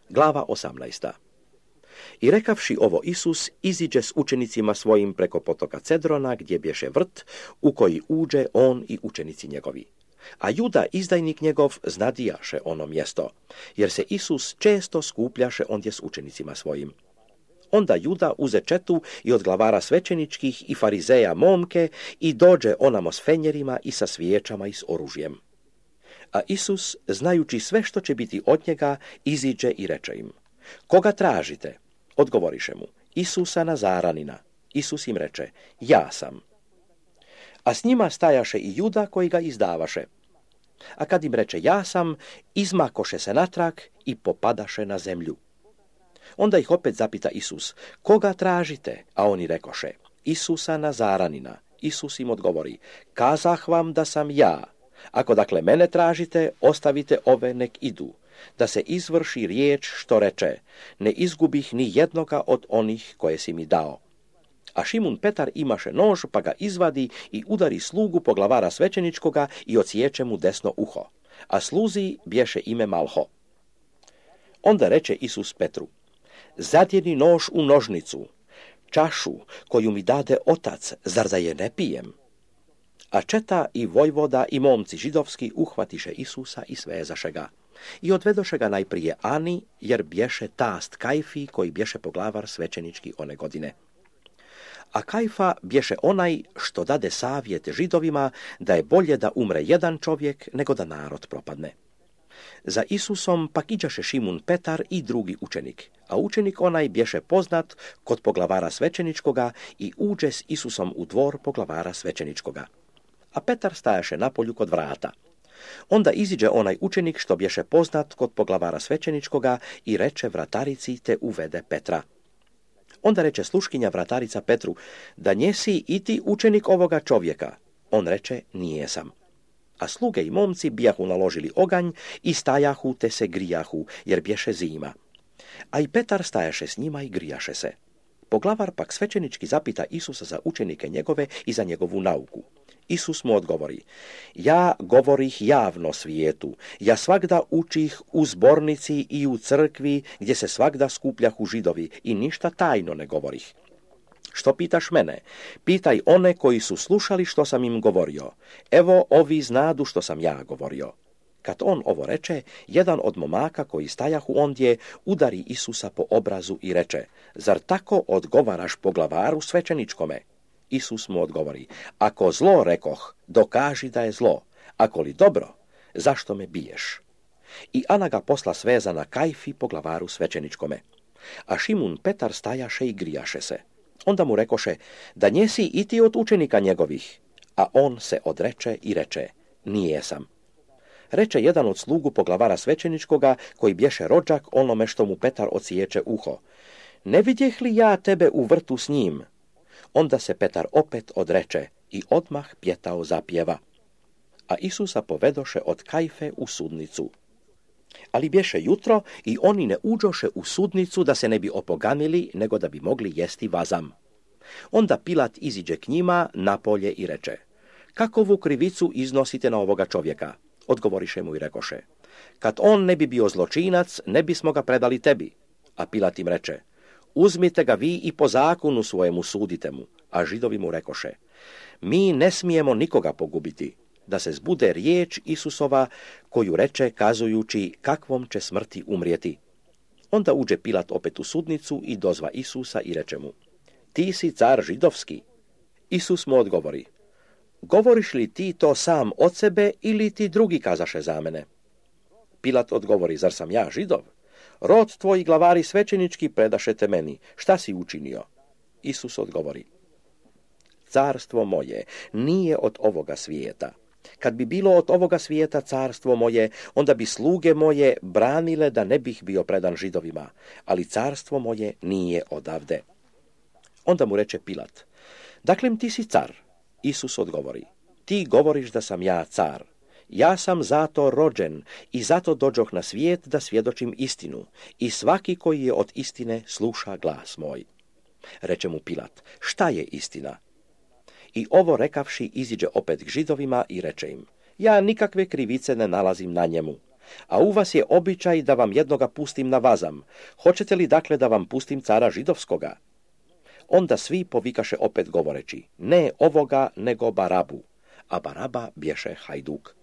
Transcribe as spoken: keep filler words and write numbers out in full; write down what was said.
Glava osamnaesta. I rekavši ovo Isus, iziđe s učenicima svojim preko potoka Cedrona, gdje bješe vrt, u koji uđe on i učenici njegovi. A Juda, izdajnik njegov, znadijaše ono mjesto, jer se Isus često skupljaše ondje s učenicima svojim. Onda Juda uze četu i od glavara svećeničkih i farizeja momke i dođe onamo s fenjerima i sa svijećama i s oružjem. A Isus, znajući sve što će biti od njega, iziđe i reče im: Koga tražite? Odgovoriše mu: Isusa Nazaranina. Isus im reče: Ja sam. A s njima stajaše i Juda koji ga izdavaše. A kad im reče ja sam, izmakoše se natrag i popadaše na zemlju. Onda ih opet zapita Isus: Koga tražite? A oni rekoše: Isusa Nazaranina. Isus im odgovori: Kazah vam da sam ja. Ako dakle mene tražite, ostavite ove nek idu, da se izvrši riječ što reče: Ne izgubih ni jednoga od onih koje si mi dao. A Šimun Petar imaše nož, pa ga izvadi i udari slugu poglavara svećeničkoga i odsječe mu desno uho. A sluzi bješe ime Malho. Onda reče Isus Petru: Zadjeni nož u nožnicu, čašu koju mi dade otac, zar da je ne pijem? A četa i vojvoda i momci židovski uhvatiše Isusa i svezaše ga. I odvedoše ga najprije Ani, jer bješe tast Kajfi, koji bješe poglavar svećenički one godine. A Kajfa bješe onaj što dade savjet židovima da je bolje da umre jedan čovjek nego da narod propadne. Za Isusom pak iđaše Šimun Petar i drugi učenik, a učenik onaj bješe poznat kod poglavara svećeničkoga i uđe s Isusom u dvor poglavara svećeničkoga. A Petar stajaše napolju kod vrata. Onda iziđe onaj učenik što bješe poznat kod poglavara svećeničkoga i reče vratarici te uvede Petra. Onda reče sluškinja vratarica Petru: Da njesi i ti učenik ovoga čovjeka? On reče: Nije sam. A sluge i momci bijahu naložili oganj i stajahu te se grijahu, jer bješe zima. A i Petar stajaše s njima i grijaše se. Poglavar pak svećenički zapita Isusa za učenike njegove i za njegovu nauku. Isus mu odgovori: Ja govorih javno svijetu, ja svagda učih u zbornici i u crkvi, gdje se svagda skupljahu židovi, i ništa tajno ne govorih. Što pitaš mene? Pitaj one koji su slušali što sam im govorio. Evo, ovi znadu što sam ja govorio. Kad on ovo reče, jedan od momaka koji stajahu ondje udari Isusa po obrazu i reče: Zar tako odgovaraš poglavaru svećeničkome? Isus mu odgovori: Ako zlo rekoh, dokaži da je zlo. Ako li dobro, zašto me biješ? I Ana ga posla svezana Kajfi poglavaru svećeničkome. A Šimun Petar stajaše i grijaše se. Onda mu rekoše: Da njesi i ti od učenika njegovih? A on se odreče i reče: Nije sam. Reče jedan od slugu poglavara svećeničkoga, koji bješe rođak onome što mu Petar odsječe uho: Ne vidjeh li ja tebe u vrtu s njim? Onda se Petar opet odreče i odmah pjetao zapjeva. A Isusa povedoše od Kajfe u sudnicu. Ali bješe jutro i oni ne uđoše u sudnicu da se ne bi opoganili, nego da bi mogli jesti vazam. Onda Pilat iziđe k njima napolje i reče: Kakovu krivicu iznosite na ovoga čovjeka? Odgovoriše mu i rekoše: Kad on ne bi bio zločinac, ne bismo ga predali tebi. A Pilat im reče: Uzmite ga vi i po zakonu svojemu sudite mu. A Židovi mu rekoše: Mi ne smijemo nikoga pogubiti, da se zbude riječ Isusova koju reče kazujući kakvom će smrti umrijeti. Onda uđe Pilat opet u sudnicu i dozva Isusa i reče mu: Ti si car židovski? Isus mu odgovori: Govoriš li ti to sam od sebe ili ti drugi kazaše za mene? Pilat odgovori: Zar sam ja Židov? Rod tvoji glavari svećenički predaše te meni. Šta si učinio? Isus odgovori: Carstvo moje nije od ovoga svijeta. Kad bi bilo od ovoga svijeta carstvo moje, onda bi sluge moje branile da ne bih bio predan Židovima, ali carstvo moje nije odavde. Onda mu reče Pilat: Dakle ti si car? Isus odgovori: Ti govoriš da sam ja car. Ja sam zato rođen i zato dođoh na svijet da svjedočim istinu, i svaki koji je od istine sluša glas moj. Reče mu Pilat: Šta je istina? I ovo rekavši iziđe opet k Židovima i reče im: Ja nikakve krivice ne nalazim na njemu. A u vas je običaj da vam jednoga pustim na vazam. Hoćete li dakle da vam pustim cara židovskoga? Onda svi povikaše opet govoreći, ne ovoga, nego Barabu. A Baraba bješe hajduk.